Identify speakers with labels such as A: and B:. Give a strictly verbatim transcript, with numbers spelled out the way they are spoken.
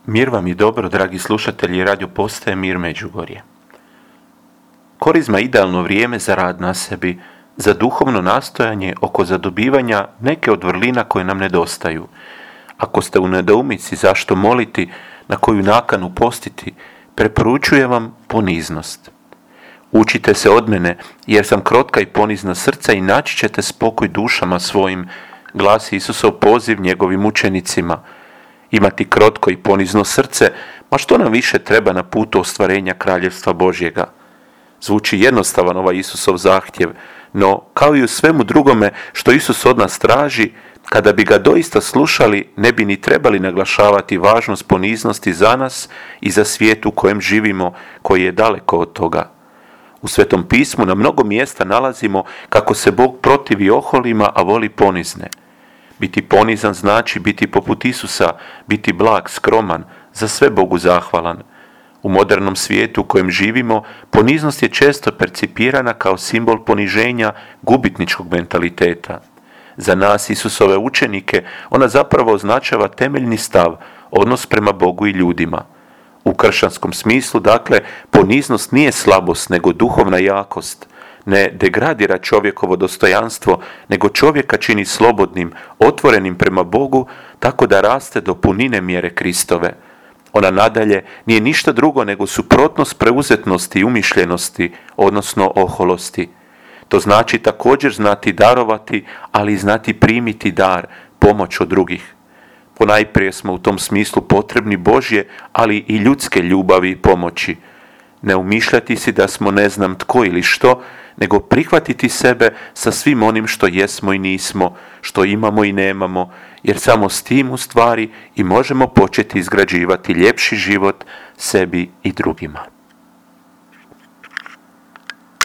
A: Mir vam i dobro, dragi slušatelji Radio Postaje Mir Međugorje. Korizma je idealno vrijeme za rad na sebi, za duhovno nastojanje oko zadobivanja neke od vrlina koje nam nedostaju. Ako ste u nedoumici zašto moliti, na koju nakanu postiti, preporučujem vam poniznost. Učite se od mene, jer sam krotka i ponizna srca i naći ćete spokoj dušama svojim, glasi Isusov poziv njegovim učenicima. Imati krotko i ponizno srce, ma što nam više treba na putu ostvarenja kraljevstva Božjega? Zvuči jednostavan ovaj Isusov zahtjev, no kao i u svemu drugome što Isus od nas traži, kada bi ga doista slušali, ne bi ni trebali naglašavati važnost poniznosti za nas i za svijet u kojem živimo, koji je daleko od toga. U Svetom pismu na mnogo mjesta nalazimo kako se Bog protivi oholima, a voli ponizne. Biti ponizan znači biti poput Isusa, biti blag, skroman, za sve Bogu zahvalan. U modernom svijetu u kojem živimo, poniznost je često percipirana kao simbol poniženja, gubitničkog mentaliteta. Za nas, Isusove učenike, ona zapravo označava temeljni stav, odnos prema Bogu i ljudima. U kršćanskom smislu, dakle, poniznost nije slabost, nego duhovna jakost. Ne degradira čovjekovo dostojanstvo, nego čovjeka čini slobodnim, otvorenim prema Bogu, tako da raste do punine mjere Kristove. Ona nadalje nije ništa drugo nego suprotnost preuzetnosti i umišljenosti, odnosno oholosti. To znači također znati darovati, ali i znati primiti dar, pomoć od drugih. Ponajprije smo u tom smislu potrebni Božje, ali i ljudske ljubavi i pomoći. Ne umišljati si da smo ne znam tko ili što, nego prihvatiti sebe sa svim onim što jesmo i nismo, što imamo i nemamo, jer samo s tim u stvari i možemo početi izgrađivati ljepši život sebi i drugima.